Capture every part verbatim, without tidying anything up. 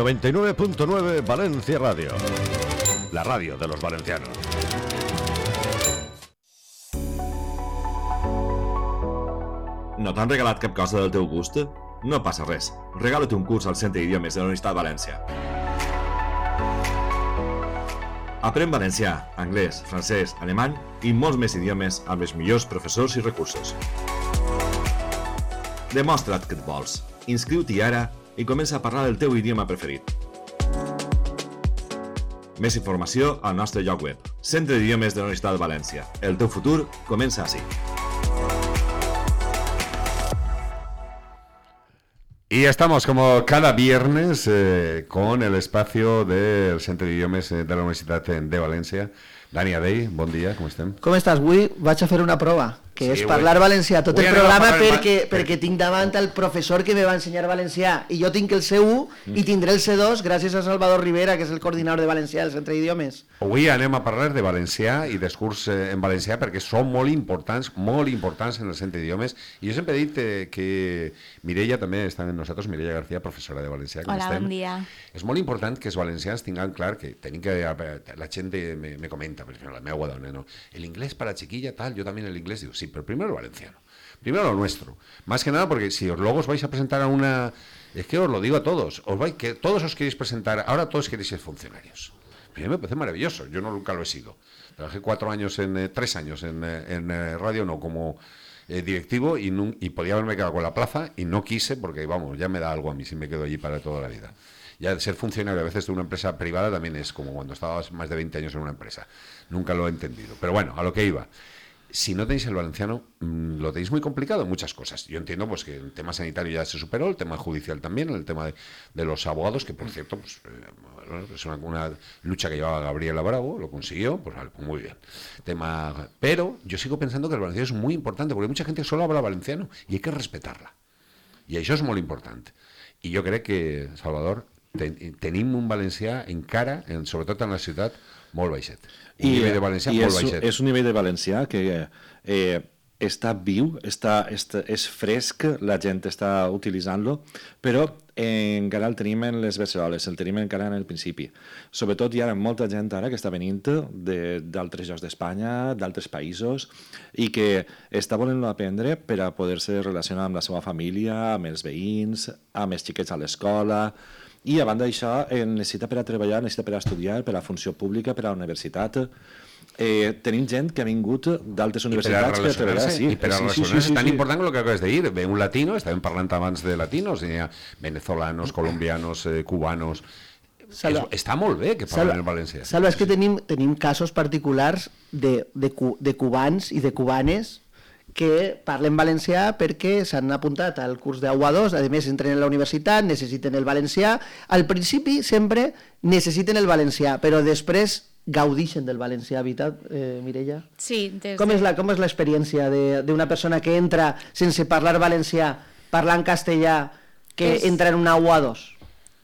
noventa y nueve punto nueve Valencia Radio, la radio de los valencianos. No t'han regalat cap cosa del teu gust? No passa res. Regala't un curs al Centre d'Idiomes de la Universitat de València. Aprèn valencià, anglès, francès, alemany i molts més idiomes amb els millors professors i recursos. Demostra't que et vols. Inscriu-t'hi ara i comença a parlar el teu idioma preferit. Més informació al nostre lloc web. Centre d'Idiomes de la Universitat de València. El teu futur comença ací. Y estamos como cada viernes eh, con el espacio del Centre d'Idiomes de la Universitat de València. Dani Adey, bon dia, com estem? Com estàs? Avui vaig a fer una prova, que sí, és parlar avui... valencià tot avui el programa perquè, el... perquè tinc davant el professor que me va ensenyar valencià i jo tinc el C u mm. i tindré el C dos gràcies a Salvador Rivera, que és el coordinador de valencià del Centre d'Idiomes. Avui anem a parlar de valencià i d'escurs en valencià perquè són molt importants, molt importants en el Centre d'Idiomes, i jo sempre he dit eh, que Mireia també està amb nosaltres, Mireia García, professora de valencià. Hola, estem. Bon dia. És molt important que els valencians tinguin clar que tenim que... La gent me, me comenta, per exemple, la meva dona, ¿no? El inglés para chiquilla, tal, yo también el inglés, digo, sí, pero primero el valenciano, primero lo nuestro, más que nada porque si os luego os vais a presentar a una, es que os lo digo a todos, os vais, que todos os queréis presentar, ahora todos queréis ser funcionarios. A mí me parece maravilloso, yo no, nunca lo he sido, trabajé cuatro años, en eh, tres años en, en eh, radio, no, como eh, directivo y, no, y podía haberme quedado con la plaza y no quise porque, vamos, ya me da algo a mí si me quedo allí para toda la vida. Ya ser funcionario a veces de una empresa privada también es como cuando estabas más de veinte años en una empresa. Nunca lo he entendido. Pero bueno, a lo que iba. Si no tenéis el valenciano, mmm, lo tenéis muy complicado en muchas cosas. Yo entiendo pues que el tema sanitario ya se superó, el tema judicial también, el tema de, de los abogados, que por cierto pues, eh, es una, una lucha que llevaba Gabriela Bravo, lo consiguió, pues vale, pues muy bien. Tema, pero yo sigo pensando que el valenciano es muy importante, porque mucha gente solo habla valenciano y hay que respetarla. Y això és molt important. I jo crec que, Salvador, ten, tenim un valencià encara, en, sobretot en la ciutat, molt baixet. Un I, nivell de valencià i molt és, baixet. És un nivell de valencià que eh, està viu, està, està, és fresc, la gent està utilitzant-lo, però eh, encara el tenim en les beceroles, el tenim encara en el principi. Sobretot hi ha molta gent ara que està venint d'altres llocs d'Espanya, d'altres països, i que està volent-lo aprendre per a poder-se relacionar amb la seva família, amb els veïns, amb els xiquets a l'escola. I a banda d'això, necessita per a treballar, necessita per a estudiar, per a funció pública, per a la universitat. Eh, tenim gent que ha vingut d'altres universitats per a treballar. Sí, I per a relacionar-se, sí, sí, sí, tan sí. important com el que acabes de dir. Ve un latino, estàvem parlant abans de latinos, hi ha venezolanos, colombianos, eh, cubanos... Salva, és, està molt bé que parlen en valencià. Salva, és que tenim, tenim casos particulars de, de, de cubans i de cubanes que parlen valencià perquè s'han apuntat al curs d'A U A dos, a més entren a la universitat, necessiten el valencià. Al principi sempre necessiten el valencià, però després gaudixen del valencià, veritat, eh, Mireia? Sí. Des com és la, com és l'experiència d'una persona que entra sense parlar valencià, parlant castellà, que és... entra en una A U A dos?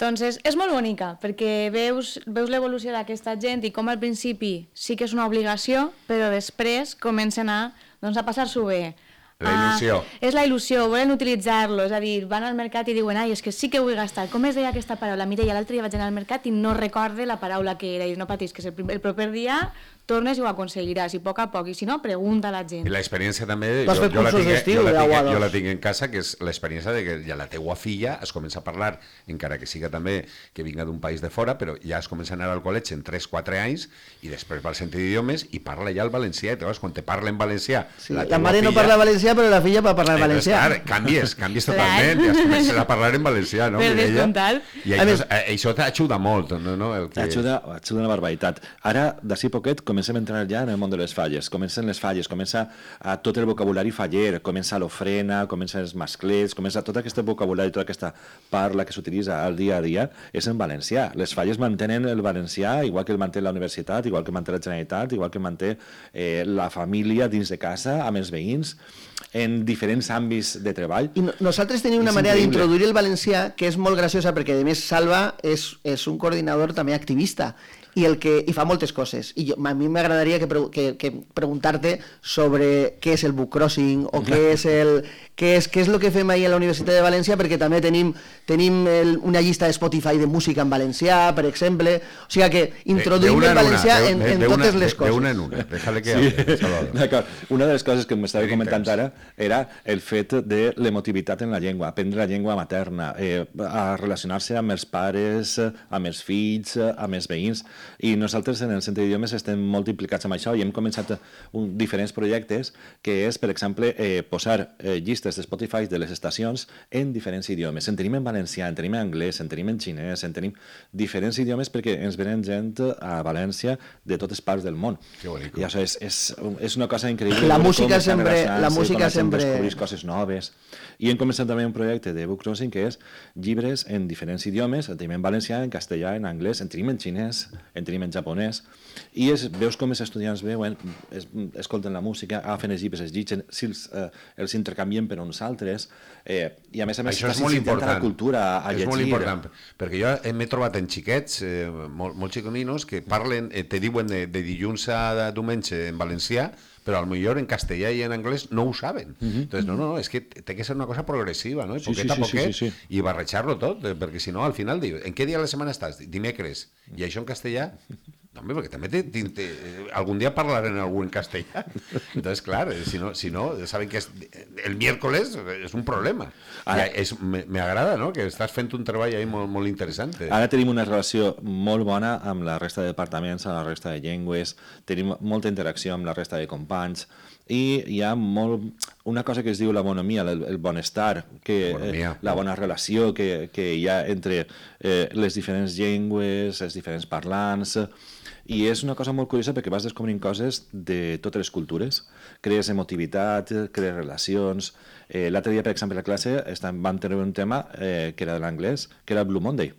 Doncs és, és molt bonica, perquè veus, veus l'evolució d'aquesta gent i com al principi sí que és una obligació, però després comencen a, doncs, a passar-s'ho bé. La il·lusió. Ah, és la il·lusió, volen utilitzar-lo, és a dir, van al mercat i diuen, ai, és que sí que ho he gastat. Com es deia aquesta paraula? Mireia, l'altre dia vaig anar al mercat i no recorde la paraula que era, i no patis, que el, el proper dia tornes i ho aconseguiràs, i a poc a poc, i si no, pregunta a la gent. I l'experiència també, jo, jo, la tinc, jo, la tinc, jo la tinc en casa, que és l'experiència de que ja la teua filla es comença a parlar, encara que siga també que vinga d'un país de fora, però ja es comença a anar al col·legi en tres quatre anys, i després va al Centre d'Idiomes i parla ja el valencià, i llavors quan te parla en valencià... Sí, la, la mare filla, no parla valencià, però la filla va parlar en valencià. Clar, canvies, canvies totalment, i es comença a parlar en valencià, no? Per descomptat. I això, això t'ajuda molt, no? no? El que... Ajuda, ajuda una barbaritat. Ara, d'ací poquet, comencem a entrar ja en el món de les falles. Comencen les falles, comença a tot el vocabulari faller, comença l'ofrena, comença els masclets, comença tot aquest vocabulari, tota aquesta parla que s'utilitza al dia a dia, és en valencià. Les falles mantenen el valencià, igual que el manté la universitat, igual que manté la Generalitat, igual que manté eh, la família dins de casa, amb els veïns, en diferents àmbits de treball. I no, nosaltres tenim una és manera d'introduir el valencià que és molt graciosa, perquè a més Salva és, és un coordinador també activista, i, el que, i fa moltes coses. I jo, a mi m'agradaria que, que, que preguntar-te sobre què és el book crossing o què és el... Què és, què és el que fem ahir a la Universitat de València, perquè també tenim, tenim el, una llista de Spotify de música en valencià, per exemple, o sigui que introduïm el valencià en, en, en totes les coses. De una en una, déjale que sí. hable, Salvador. Una de les coses que m'estava comentant ara era el fet de l'emotivitat en la llengua, aprendre la llengua materna, eh, a relacionar-se amb els pares, amb els fills, amb els veïns, i nosaltres en el Centre d'Idiomes estem molt implicats amb això i hem començat un, diferents projectes que és, per exemple, eh, posar eh, llistes de Spotify de les estacions en diferents idiomes. En tenim en valencià, en tenim en anglès, en tenim en xinès, en tenim diferents idiomes perquè ens venen gent a València de totes parts del món. I això és, és, és una cosa increïble. La música sempre... La música sempre... Descobrir coses noves. I hem començat també un projecte de book crossing que és llibres en diferents idiomes, en tenim en valencià, en castellà, en anglès, en tenim en xinès, en tenim en japonès, i és, veus com els estudiants veuen, es, escolten la música, agafen els llibres, els llitgen, si els, eh, els intercanvien per uns altres, eh, i a més a més això és molt important, la cultura a és llegir. molt important, perquè jo m'he trobat en xiquets, eh, molt, molt xiconinos, que parlen, eh, te diuen de, de dilluns a diumenge en valencià, però al millor en castellà i en anglès no ho saben. Uh-huh. Entonces, no, no, és que té que ser una cosa progressiva, no? I sí, poquet sí, a poquet, sí, sí, sí. i barrejar-lo tot, perquè si no, al final, diu, en què dia de la setmana estàs? Dimecres. I això en castellà? No, home, perquè també te, te, te, algun dia parlarem algú en castellà. Entonces, clar, si no, si no saben que és, el miércoles és un problema. Ara, és, me, me agrada, no?, que estàs fent un treball ahí molt, molt interessant. Ara tenim una relació molt bona amb la resta de departaments, amb la resta de llengües, tenim molta interacció amb la resta de companys, i hi ha molt, una cosa que es diu la bonomia, el, el bonestar, que, eh, la bona relació que, que hi ha entre eh, les diferents llengües, els diferents parlants, i és una cosa molt curiosa perquè vas descobrint coses de totes les cultures, crees emotivitat, crees relacions. Eh, L'altre dia, per exemple, a la classe vam tenir un tema eh, que era de l'anglès, que era Blue Monday,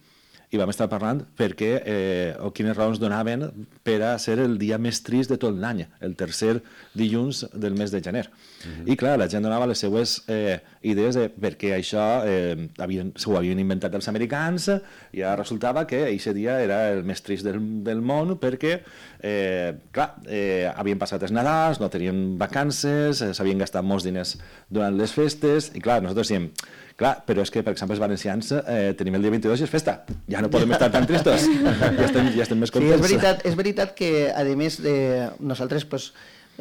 i vam estar parlant perquè, eh, o quines raons donaven per a ser el dia més trist de tot l'any, el tercer dilluns del mes de gener. Uh-huh. I clar, la gent donava les seues eh, idees de per què això eh, havien, s'ho havien inventat els americans, i ara resultava que aquest dia era el més trist del, del món perquè, eh, clar, eh, havien passat els Nadals, no tenien vacances, eh, s'havien gastat molts diners durant les festes, i clar, nosaltres diem, clar, però és que, per exemple, els valencians eh, tenim el dia vint-i-dos i és festa. Ja no podem estar tan tristos. Ja estem, ja estem més contents. Sí, és veritat, és veritat que, a més, de nosaltres pues,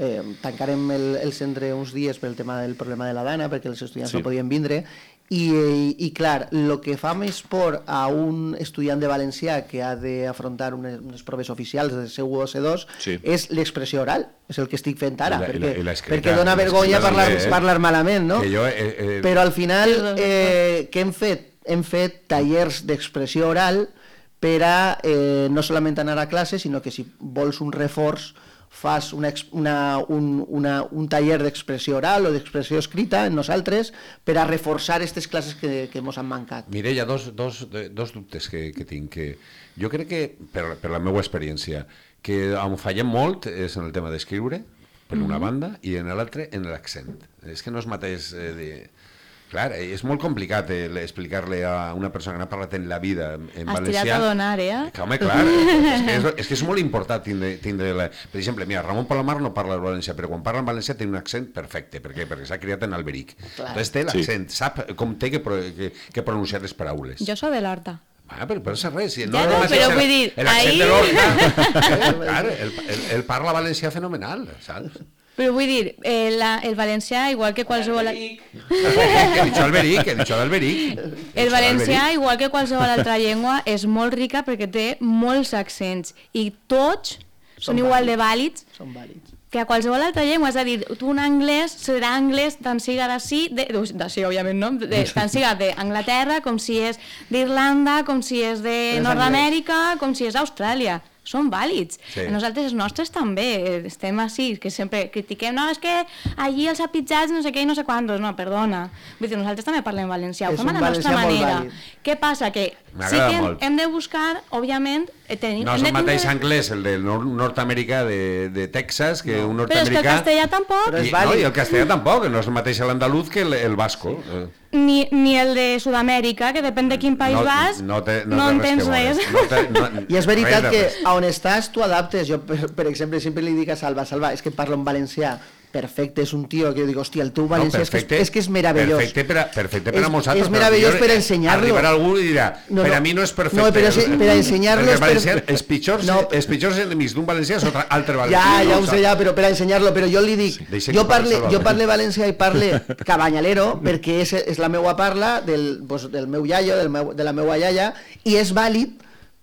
eh, tancarem el, el centre uns dies pel tema del problema de la dana, perquè els estudiants sí. no podien vindre, i, i, i clar, el que fa més por a un estudiant de valencià que ha d'afrontar unes, unes proves oficials de C u o C dos sí. és l'expressió oral, és el que estic fent ara, I la, perquè, i la, i perquè dona vergonya parlar, eh? parlar malament, no? Jo, eh, eh... Però al final, eh, què hem fet? Hem fet tallers d'expressió oral per a eh, no solament anar a classe, sinó que si vols un reforç fas una, una, un, una, un taller d'expressió oral o d'expressió escrita en nosaltres per a reforçar aquestes classes que, que ens han mancat. Mire, hi ha dos, dos, dos dubtes que, que tinc. Que jo crec que, per, per la meva experiència, que on fallem molt és en el tema d'escriure, per una mm-hmm. banda, i en l'altre en l'accent. És que no és mateix... Eh, de... Clar, és molt complicat eh, explicar-li a una persona que no ha parlat en la vida en Has valencià. Has tirat a donar, eh? Que, home, clar, és que és, és que és molt important tindre... tindre la... Per exemple, mira, Ramon Palomar no parla el valencià, però quan parla en valencià té un accent perfecte. Per què? Perquè s'ha criat en Alberic. Clar. Entonces té l'accent, sí. sap com té que, que, que pronunciar les paraules. Jo soc de l'Horta. Ah, però per ser res. Si no, ja no, però vull dir... L'accent de l'Horta... Clar, ell parla valencià fenomenal, saps? Però vull dir, eh, la, el valencià, igual que qualsevol... He dicho Alberic, he dicho Alberic. El valencià, igual que qualsevol altra llengua, és molt rica perquè té molts accents i tots són, són igual de vàlids, són vàlids que a qualsevol altra llengua. És a dir, tu un anglès serà anglès tant siga d'ací, d'ací, òbviament, no? De, tant siga d'Anglaterra, com si és d'Irlanda, com si és de Nord-Amèrica, com si és d'Austràlia. Són vàlids. Sí. Nosaltres els nostres també estem així, que sempre critiquem, no, és que allí els apitjats no sé què i no sé quantos, no, perdona. Vull dir, nosaltres també parlem valencià, ho fem a la nostra manera. Què passa? Que sí que hem, hem de buscar, òbviament... Tenim, no és el mateix tindre... anglès, el de Nord-Amèrica, de, de Texas, que no. un nord-americà... Però és que el castellà tampoc. I, no, i el castellà tampoc, no és el mateix l'andaluz que el, el basco. Ni, ni el de Sud-amèrica, que depèn de quin país no, vas, no, te, no, no entens res. No te, no, I és veritat que a on estàs tu adaptes. Jo, per, per exemple, sempre li dic a Salva, Salva, és que parlo en valencià perfecte, és un tio que jo dic, hòstia, el teu valencià no, perfecte, és, que és, és que és meravellós. Perfecte per a, perfecte per a és, nosaltres. És meravellós per ensenyar-lo. Arribarà algú i dirà, no, no, per a mi no és perfecte. No, però si, per a ensenyar-lo... Perquè els valencians, els pitjors, no, els pitjors enemics d'un valencià és altre valencià. Ja, ja ho sé, ja, però per a ensenyar-lo, però jo li dic, sí, jo, parle, jo parle valencià i parle cabanyalero, perquè és, és la meua parla del, pues, del meu iaio, del meu, de la meua iaia, i és vàlid,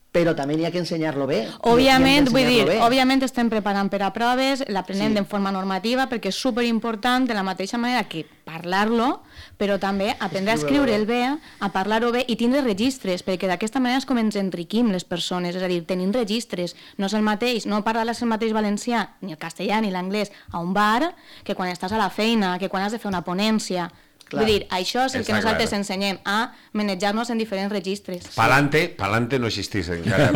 però també n'hi ha que ensenyar-lo bé. Òbviament, vull dir, bé. òbviament estem preparant per a proves, l'aprenem sí. de forma normativa, perquè és superimportant, de la mateixa manera que parlar-lo, però també aprendre a escriure'l bé, a parlar-ho bé i tindre registres, perquè d'aquesta manera és com ens enriquim les persones, és a dir, tenim registres, no és el mateix, no parlar-les el mateix valencià, ni el castellà ni l'anglès, a un bar, que quan estàs a la feina, que quan has de fer una ponència. Clar. Vull dir, això és el que nosaltres clar. ensenyem, a manejar-nos en diferents registres. Palante, palante no existís encara.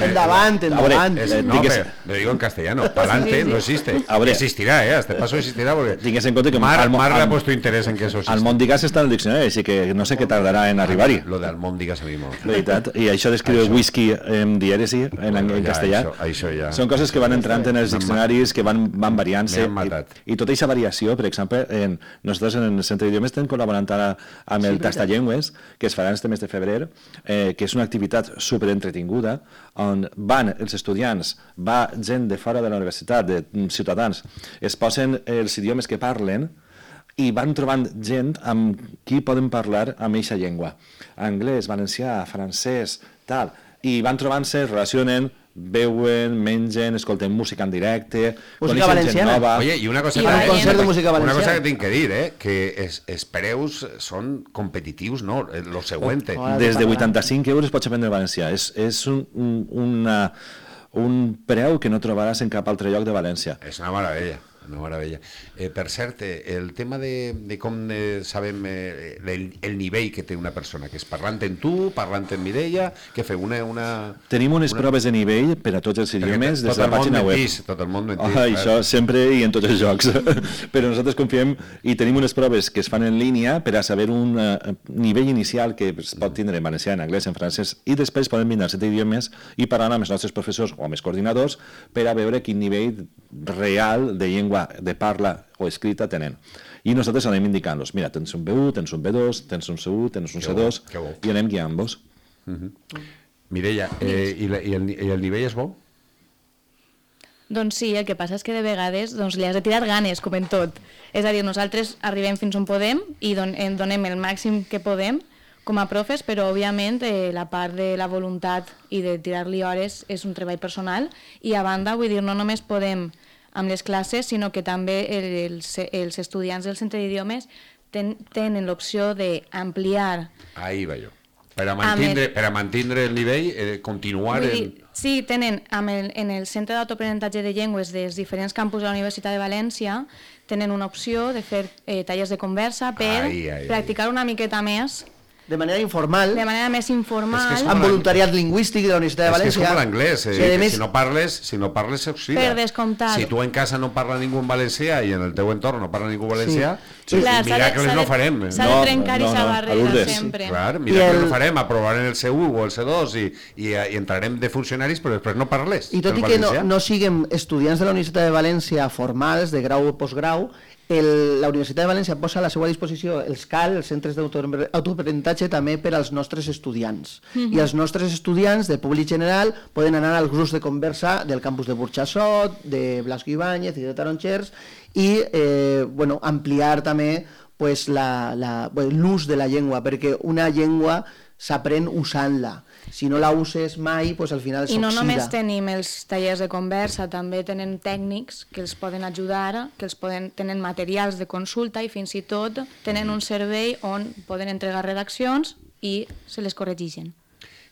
Endavant, endavant. No, pero lo digo en castellano, palante sí, sí, sí. no existe. Ver, existirá, ¿eh? Hasta paso existirá porque tingues en compte que Mar, al, Mar al, le ha puesto interés en que eso existe. Almòndigues està en el diccionari, així que no sé què tardarà en arribar-hi. Lo de almòndigues a mi molt. Veritat. I això d'escriure whisky en dièresi, en, en, en castellà, això, això ja. són coses que van entrant en els diccionaris, que van, van variant-se. I, I tota aquesta variació, per exemple, en, nosaltres en el Centre d'Idiomes estem col·laborant amb el sí, Tastallengües, que es farà este mes de febrer, eh, que és una activitat superentretinguda, on van els estudiants, va gent de fora de la universitat, de ciutadans, es posen els idiomes que parlen i van trobant gent amb qui poden parlar amb eixa llengua. Anglès, valencià, francès, tal. I van trobant-se, relacionen, veuen, mengen, escolten música en directe, música valenciana. Nova. Oye, y una cosa, I que, concert de música una cosa que tinc que dir, eh, que es, els preus són competitius, no? Lo següent. Oh, Des de vuitanta-cinc euros pots aprendre valencià. És, és un, un, una, un preu que no trobaràs en cap altre lloc de València. És una meravella. Una meravella. Eh, per cert, el tema de, de com eh, sabem eh, el, el nivell que té una persona, que és parlant en tu, parlant en Mireia, que feu una... una Tenim unes una... proves de nivell per a tots els idiomes des de la pàgina web. Mentís, tot el món mentís. Oh, això sempre i en tots els jocs. Però nosaltres confiem i tenim unes proves que es fan en línia per a saber un uh, nivell inicial que es pot tindre en valencià, en anglès, en francès, i després podem vindre a set idiomes i parlar amb els nostres professors o amb els coordinadors per a veure quin nivell real de llengua de parla o escrita tenen. I nosaltres anem indicant-los, mira, tens un B u, tens un B dos, tens un C u, tens un C dos, bo, bo. i anem guiant-vos. Uh -huh. Mireia, eh, i, la, i, el, i el nivell és bo? Doncs sí, el que passa és que de vegades doncs, li has de tirar ganes, com en tot. És a dir, nosaltres arribem fins on podem i don, en donem el màxim que podem com a profes, però òbviament eh, la part de la voluntat i de tirar-li hores és un treball personal i a banda, vull dir, no només podem amb les classes, sinó que també els, els estudiants del centre d'idiomes ten, tenen l'opció d'ampliar. Ahí va jo. Per a mantindre el, per a mantindre el nivell, eh, continuar... Dir, en... Sí, tenen amb el, en el Centre d'Autoaprenentatge de Llengües dels diferents campus de la Universitat de València tenen una opció de fer eh, tallers de conversa per ai, ai, practicar ai. una miqueta més. De manera informal. De manera més informal. Es que amb voluntariat lingüístic de la Universitat de València. És que és com l'anglès, eh? Sí, més... si no parles, si no parles s'oxida. Per descomptat. Si tu en casa no parla ningú en valencià i en el teu entorn no parla ningú en valencià, sí. Sí. Clar, miracles no farem. S'ha de trencar no, aquesta no, no, barrera sempre. Clar, miracles el... no farem, aprovarem el C u o el C dos i, i, i entrarem de funcionaris, però després no parles. I tot i que no, no siguem estudiants de la Universitat de València formals, de grau o postgrau, El, la Universitat de València posa a la seva disposició els C A L, els centres d'autoaprenentatge, també per als nostres estudiants. Mm-hmm. I els nostres estudiants de públic general poden anar als grups de conversa del campus de Burxassot, de Blasco Ibáñez i de Taronxers i eh, bueno, ampliar també pues, la, la, bueno, l'ús de la llengua, perquè una llengua s'aprèn usant-la. Si no la uses mai, pues al final s'oxida. I no només tenim els tallers de conversa, també tenen tècnics que els poden ajudar, que els poden, tenen materials de consulta i fins i tot tenen un servei on poden entregar redaccions i se les corregeixen.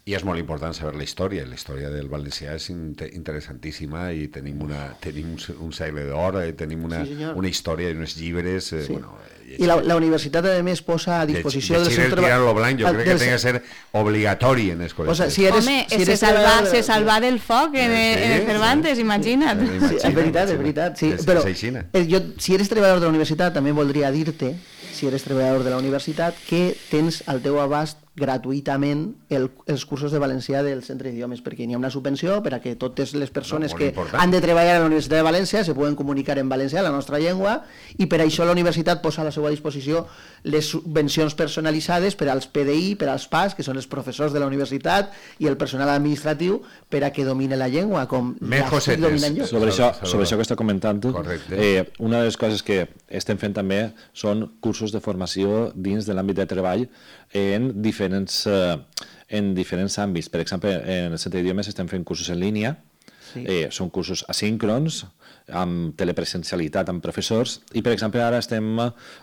I és molt important saber la història. La història del valencià és interessantíssima i tenim, una, tenim un segle d'or, eh, tenim una, sí, una història i uns llibres... Eh, sí. bueno, I la, la universitat, a més, posa a disposició del seu treball... Lo blanc, jo crec que té que ser obligatori en els col·legis. O sea, si eres, Home, si eres se, salva, treballador... se salva del foc en, sí, en Cervantes, sí, imagina't. Sí, imagina't. Sí, és veritat, és veritat. Sí. Però jo, si eres treballador de la universitat, també voldria dir-te, si eres treballador de la universitat, que tens al teu abast gratuïtament el, els cursos de valencià del Centre d'Idiomes, perquè hi ha una subvenció per a que totes les persones no, que important. han de treballar a la Universitat de València se puguen comunicar en valencià, la nostra llengua, i per això la universitat posa a la seva disposició les subvencions personalitzades per als P D I, per als P A S, que són els professors de la universitat, i el personal administratiu, per a que domine la llengua, com Més ja estic cosetes. dominant jo. Sobre això, sobre això que està comentant tu, eh, una de les coses que estem fent també són cursos de formació dins de l'àmbit de treball en diferents, eh, en diferents àmbits. Per exemple, en el Centre d'Idiomes estem fent cursos en línia, sí. eh, són cursos asíncrons, amb telepresencialitat amb professors, i per exemple ara estem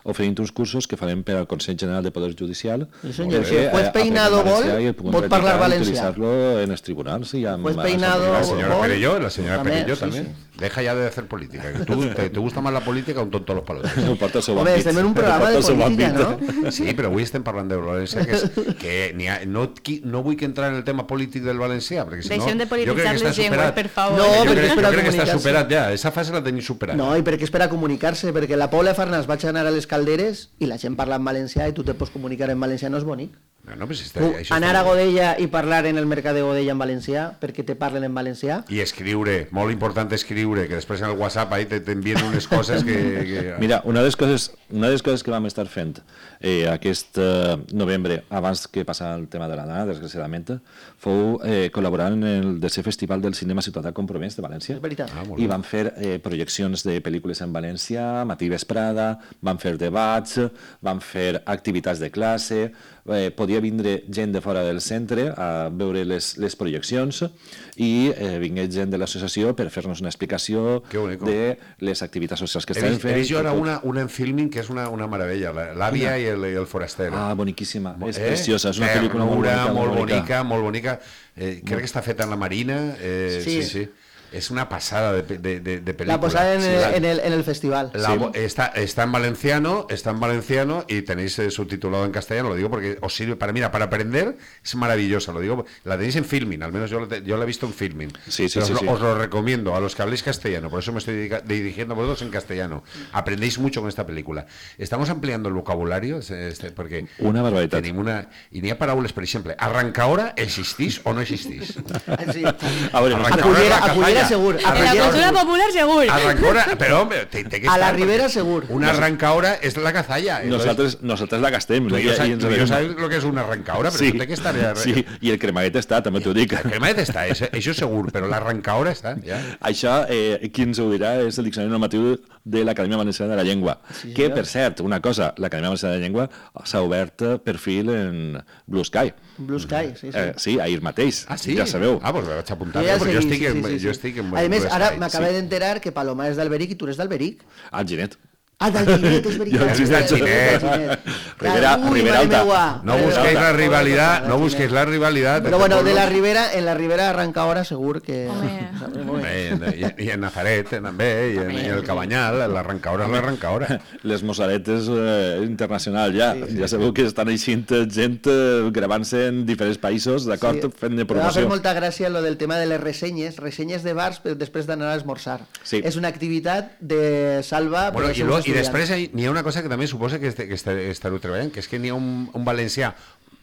oferint uns cursos que farem per al Consell General de Poder Judicial. Sí, senyor. Si el juez Peinado vol, pot parlar valencià. Utilitzar-lo en els tribunals. Y amb, juez Peinado La señora vol, Perelló, la señora també, Perelló sí, también. sí. Deja ya de hacer política. Que tú, te, te gusta más la política o un tonto a los palotes. No porta el seu Home, àmbit. estem en un programa de No porta el seu política, àmbit. no? Sí, però avui estem parlant de València, que, és, que ni ha, no, qui, no vull que entrar en el tema polític del valencià, perquè si no... Deixem de jo crec polititzar que està les llengües, superat. per favor. No, jo perquè crec, és per a jo crec que està comunicar-se. superat ja, esa fase la tenim superada. No, i perquè és per a comunicar-se, perquè la Paula Farnàs vaig anar a les calderes i la gent parla en valencià i tu te pots comunicar en valencià, no és bonic. No, no, pues està, Tu, això anar està a Godella i parlar en el mercat de Godella en valencià, perquè te parlen en valencià. I escriure, molt important escriure, que després en el WhatsApp ahí t'envien unes coses que... que... Mira, una de les coses, una de les coses que vam estar fent eh, aquest eh, novembre, abans que passava el tema de la Dana, desgraciadament, fou eh, col·laborant en el tercer Festival del Cinema Ciutadà Compromès de València. És veritat. Ah, molt I bé. vam fer eh, projeccions de pel·lícules en valencià, matí vesprada, vam fer debats, vam fer activitats de classe, eh, podia vindre gent de fora del centre a veure les, les projeccions i eh, vingué gent de l'associació per fer-nos una explicació Que bonico. de les activitats socials que He estem vist, he fent. vist jo i ara tot. una, una en filming que és una, una meravella, la- l'àvia i el, i el foraster. Ah, boniquíssima, és Eh? preciosa, és una pel·lícula molt Ternura, bonica. molt bonica, molt bonica. Eh, crec que està feta en la Marina. Eh, sí. Sí. sí, sí. És una passada de, pe- de, de, de pel·lícula. La posada en, Sí, el, la- en, el, en el festival. La vo- está, está en valenciano, está en valenciano y tenéis eh, subtitulado en castellano, lo digo porque os sirve para, mira, para aprender es maravillosa, lo digo, la tenéis en Filmin, al menos yo, la te- yo la he visto en Filmin. Sí, sí, Pero sí, os, sí. lo, os lo recomiendo a los que habléis castellano, por eso me estoy dedica- dirigiendo a vosotros en castellano. Aprendéis mucho con esta película. Estamos ampliando el vocabulario, este, porque Una barbaritat. tenim una... I n'hi ha paraules, per exemple, arrancahora existís o no existís? Sí. A veure, Arranca- A Cullera, la a Cullera cazalla. segur. En la Arranca- cultura popular, segur. Arrancahora, pero hombre, te, te que A la estar, Ribera, porque segur. Una arrancahora es la cazalla. entonces- Nosaltres, nosaltres la gastem. Tú y yo, i- sa- i ens tú y yo sabem. sabes lo que es una arrancahora, pero Sí, tú té que estar... Ja... sí, i el cremaguet està, també t'ho dic. El cremet està, això, això segur, però l'arrancahora està, ja. Això, eh, qui ens ho dirà és el Diccionari Normatiu de l'Acadèmia Valenciana de la Llengua. Sí, que, senyor. per cert, una cosa, l'Acadèmia Valenciana de la Llengua s'ha obert eh, perfil en Blue Sky. Blue Sky, sí, sí. Eh, sí, ahir mateix, Ah, sí? ja sabeu. Ah, doncs me vaig apuntar, Jo ja perquè jo seguí, estic, sí, en, sí, sí, jo sí. estic en... A més, Blue ara Sky, m'acabé sí. d'enterar que Paloma és d'Alberic i tu eres d'Alberic. Al Ginet. Ah, d'Alginet, és veritat. Jo ets d'Alginet. Ribera- Ui, Ribera mare Alta. meua. No Ribera busquéis Alta. la rivalidad, no Alginet. busquéis la rivalidad. Però bueno, de la Ribera, en la Ribera Arrancahora segur que... Home. Home, i, i en Nazaret també, i en, i en el Cabanyal, l'arrancahora és l'arrancahora. Les Mosaretes eh, internacional ja. Sí, sí, ja sabeu que estan eixint gent eh, gravant-se en diferents països, d'acord? Sí. Fent de Em va fer promoció. molta gràcia lo del tema de les ressenyes, ressenyes de bars però després d'anar a esmorzar. Sí. És una activitat de salva per Bueno, als i, seus lo, I estudiants. després hi n'hi ha una cosa que també suposa que, este, que este, estareu treballant, que és que n'hi ha un, un valencià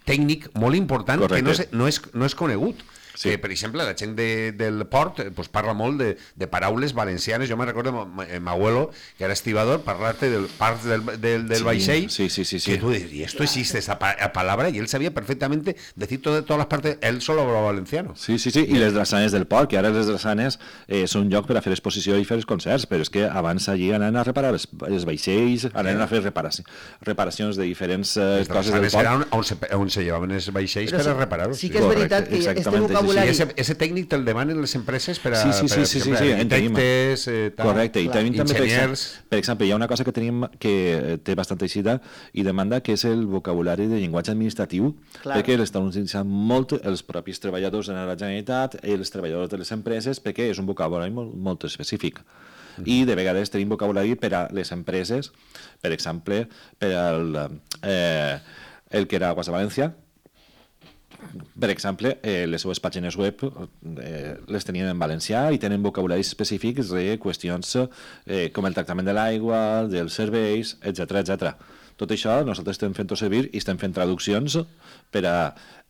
tècnic molt important Correcte. que no, se, no, és, no és conegut. Sí. Que, per exemple, la gent de, del port eh, pues, parla molt de, de paraules valencianes. Jo me recordo ma- eh, m'abuelo, que era estibador, parlate del part del, del, del Sí, vaixell, sí, sí, sí, sí. que tú dices, y esto existe, esa pa- palabra, y él sabía perfectamente decir todo, todas las partes, él solo hablaba valenciano. Sí, sí, sí, i les drassanes del port, que ara les drassanes eh, són un lloc per a fer exposició i fer els concerts, però és que abans allí anaven a reparar els, els vaixells, anaven a fer reparaci reparacions de diferents eh, Les coses del drassanes port. era on, on, se, on se llevaven els vaixells Però per a sí- reparar-los. sí que és Correcte, veritat que este exactament, sí, sí. I vocabulari... ese, ese tècnic te'l demanen les empreses per a, Sí, sí, sí, per a, sí, per sí, exemple, sí, en tenim. arquitectes, eh, tal. Correcte, i tenim també, per exemple, enginyers. per exemple, hi ha una cosa que tenim que eh, té bastanta eixida i demanda, que és el vocabulari de llenguatge administratiu, Clar. perquè l'estan utilitzant molt els propis treballadors de la Generalitat i els treballadors de les empreses, perquè és un vocabulari molt, molt específic. I de vegades tenim vocabulari per a les empreses, per exemple, per al, eh, el que era Aguas de València, per exemple, eh, les seues pàgines web eh, les tenien en valencià i tenen vocabularis específics de qüestions eh, com el tractament de l'aigua, dels serveis, etcètera etcètera. Tot això nosaltres estem fent-ho servir i estem fent traduccions per a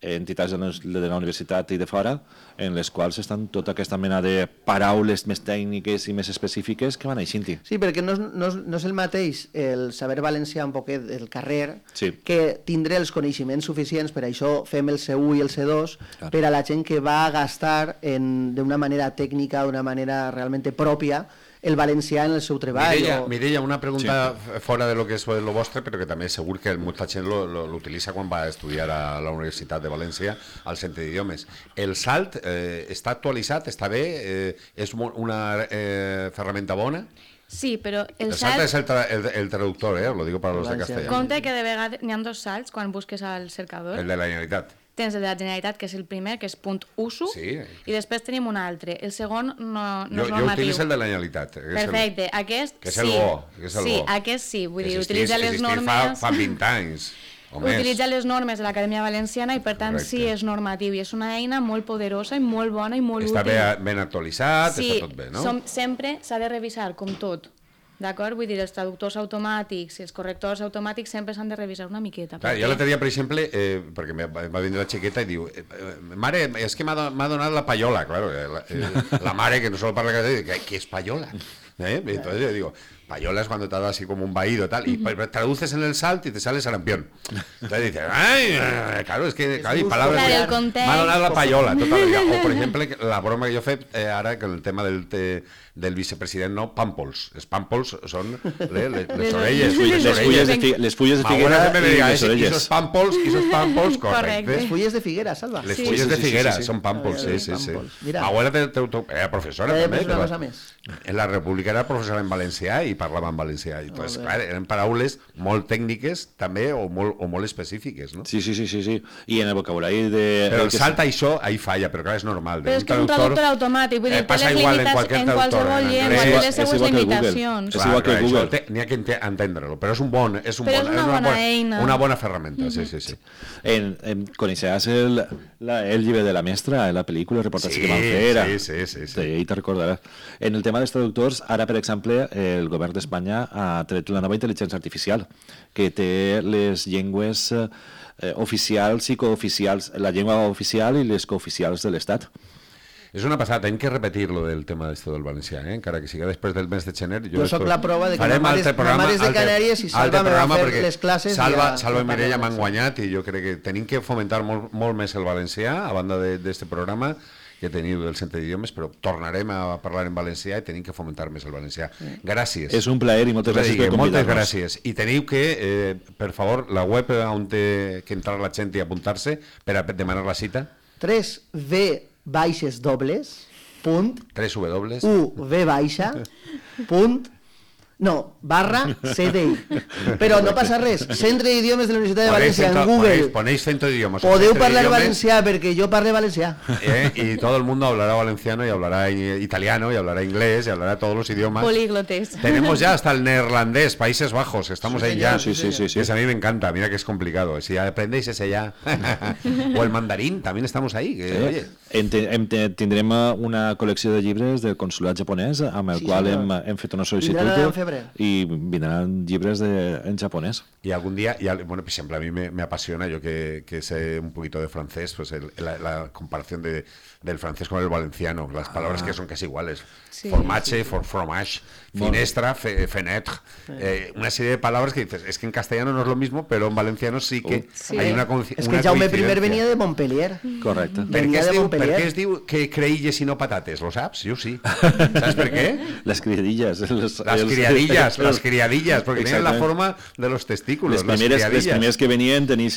entitats de la universitat i de fora, en les quals estan tota aquesta mena de paraules més tècniques i més específiques que van eixint-hi. Sí, perquè no és, no, és, no és el mateix el saber valencià un poquet del carrer sí. que tindre els coneixements suficients, per això fem el C u i el C dos, claro. Per a la gent que va a gastar d'una manera tècnica, d'una manera realment pròpia, el valencià en el seu treball. Mireia, o... Mireia, una pregunta sí. fora de lo que és lo vostre, però que també segur que molta gent l'utilitza quan va a estudiar a la Universitat de València al Centre d'Idiomes. El salt eh, està actualitzat, està bé, eh, és una eh, ferramenta bona? Sí, però el, el salt... salt és el, tra el, el traductor, eh? Lo digo para los de castellano. Compte que de vegades n'hi ha dos salts quan busques al cercador. El de la Generalitat. Tens el de la Generalitat, que és el primer, que és punt uso, sí. I després tenim un altre. El segon no, no jo, és normatiu. Jo utilitzo el de la Generalitat. Perfecte, el, aquest que és sí. El bo, que és el sí, bo. aquest sí, vull dir, existís, utilitza les normes... Fa, fa vint anys. Utilitza les normes de l'Acadèmia Valenciana i per tant Correcte. Sí, és normatiu i és una eina molt poderosa i molt bona i molt està útil. Està ben, ben actualitzat, sí, està tot bé, no? Som, sempre s'ha de revisar, com tot. D'acord? Vull dir, els traductors automàtics i els correctors automàtics sempre s'han de revisar una miqueta. Clar, jo l'altre dia, per exemple, eh, perquè va vindre la xiqueta i diu eh, mare, és que m'ha donat la payola, claro, la, eh, la mare que no solo parla català, que, que és payola. ¿Eh? Entonces yo digo, payola es cuando te da así como un vaído tal, y uh-huh. traduces en el salt y te sale sarampión. Entonces dices, ay, claro, es que claro, y palabras m'ha donat la payola tota la vida. O por ejemplo, la broma que jo he fet eh, ara con el tema del, te, del vicepresident, no, pàmpols. Els pàmpols són le, le, les, les orelles. Les, les, fulles de fi, les fulles de figuera i les orelles. Esos pàmpols, esos pàmpols, correcte. Les fulles de figuera, Salva. Les fulles de figuera són pàmpols, sí, sí, sí. Ma abuela era professora també. Una cosa més. En la República era professora en valencià i parlava en valencià. I, pues, clar, eren paraules molt tècniques també o molt, o molt específiques, no? Sí, sí, sí, sí, sí. I en el vocabulari de... Però el salt això, ahí falla, però clar, és normal. Però és que és un traductor automàtic, vull dir, té les limitacions en qualsevol llengua, té les seues limitacions. És igual que Google. N'hi ha que entendre-lo, però és un bon... És un però bon, és una bona eina. Una bona ferramenta, sí, sí, sí. En, en, coneixeràs el, la, el llibre de la mestra, la pel·lícula, el reportatge sí, que van fer. Sí, sí, sí. sí. I te'n recordaràs. En el tema dels traductors, ara, per exemple, el govern d'Espanya ha tret la nova intel·ligència artificial, que té les llengües eh, oficials i cooficials, la llengua oficial i les cooficials de l'Estat. És una passada, hem que repetir lo del tema d'esto del valencià, eh? Encara que siga després del mes de gener. Jo, jo soc la prova de que ma mare, programa, ma mare és de Canàries i Salva me va fer les classes. Salva, ja, Salva i Mireia m'han guanyat i jo crec que tenim que fomentar molt, molt més el valencià a banda d'aquest programa que teniu del Centre d'Idiomes, però tornarem a parlar en valencià i tenim que fomentar més el valencià. Gràcies. És un plaer i moltes gràcies per convidar-nos. Moltes gràcies. I teniu que, eh, per favor, la web on té que entrar la gent i apuntar-se per a demanar la cita. tres v baixes dobles punt tres w u v baixa punt no, barra C D I. Però no passa res. Centre d'Idiomes de la Universitat de València en Google. Ponéis, ponéis Centro de Idiomas. Podeu parlar valencià perquè jo parlo valencià. Eh, y todo el mundo hablará valenciano y hablará italiano y hablará inglés y hablará todos los idiomas. Políglotes. Tenemos ya hasta el neerlandés, Países Bajos. Estamos sí, ahí ya. Sí, sí, sí, sí. Eso a mí me encanta. Mira que es complicado. Si aprendéis ese ya. O el mandarín, también estamos ahí. Que, sí. Oye. En, en, tindrem una col·lecció de llibres del consulat japonès amb el sí, qual hem, hem fet una sol·licitud i vindran llibres de, en japonès. Y algún día, y, bueno, por ejemplo, a mí me, me apasiona, yo que, que sé un poquito de francés, pues el, la, la comparación de, del francés con el valenciano, las ah. palabras que son casi iguales. Sí, formache, sí. for fromage, finestra, fe, fenêtre, eh, una serie de palabras que dices, es que en castellano no es lo mismo, pero en valenciano sí que sí. hay una coincidencia. Es que Jaume primer venía de Montpellier. Correcte. Per què, es diu, per què es diu que creïlles i no patates? Lo saps? Jo sí. ¿Sabes per què? Les criadillas. Les, las criadillas, las criadillas, porque tienen la forma de los testículos. Les primeres, les primeres que venien tenien,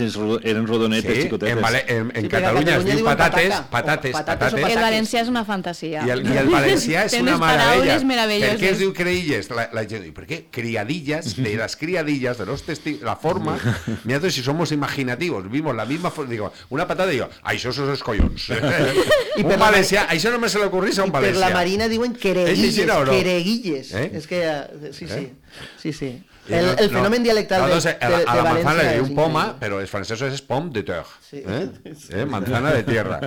eren rodonetes sí, xicotetes. En, vale, en, en sí, Catalunya es diu patates, patates, patates. patates. El valencià és una fantasia. I el, i el valencià és una meravella. Per què es diu creïlles? La, la gent diu, ¿por qué? Criadillas, de las criadillas, de los testículos, la forma. Mira, si somos imaginativos, vimos la misma forma. Digo, una patada digo, ai, això són els collons. Un valencià, això només se li ocorrís a un valencià. I per la Marina diuen quereguilles, no? quereguilles. Eh? És que, sí, sí, sí, sí. El, el no, fenomen dialectal no, de, de, de, de, a la València manzana le diu és poma, però els francesos és pomme de terre. Sí. Eh? Eh? Manzana de tierra.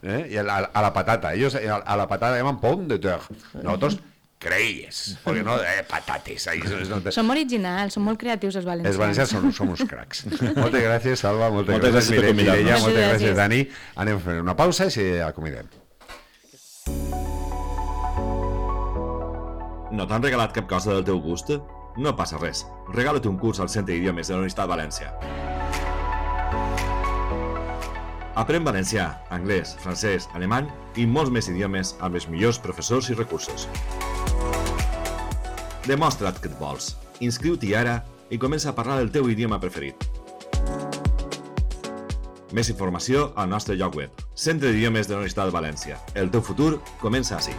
Eh? Y a, a la patata. Ellos a la patata llaman pomme de terre. Nosotros creies, perquè no, eh, patates. Ahí, no te... Som originals, som molt creatius els valencians. Els valencians som, som uns cracs. Moltes gràcies, Salva, moltes, moltes gràcies per convidar-nos. Mireia, moltes gràcies. gràcies, Dani. Anem a fer una pausa i si acomidem. No t'han regalat cap cosa del teu gust? No passa res. Regala't un curs al Centre d'Idiomes de la Universitat de València. Aprèn valencià, anglès, francès, alemany i molts més idiomes amb els millors professors i recursos. Demostra't que et vols. Inscriu-t'hi ara i comença a parlar el teu idioma preferit. Més informació al nostre lloc web, Centre d'Idiomes de la Universitat de València. El teu futur comença ací.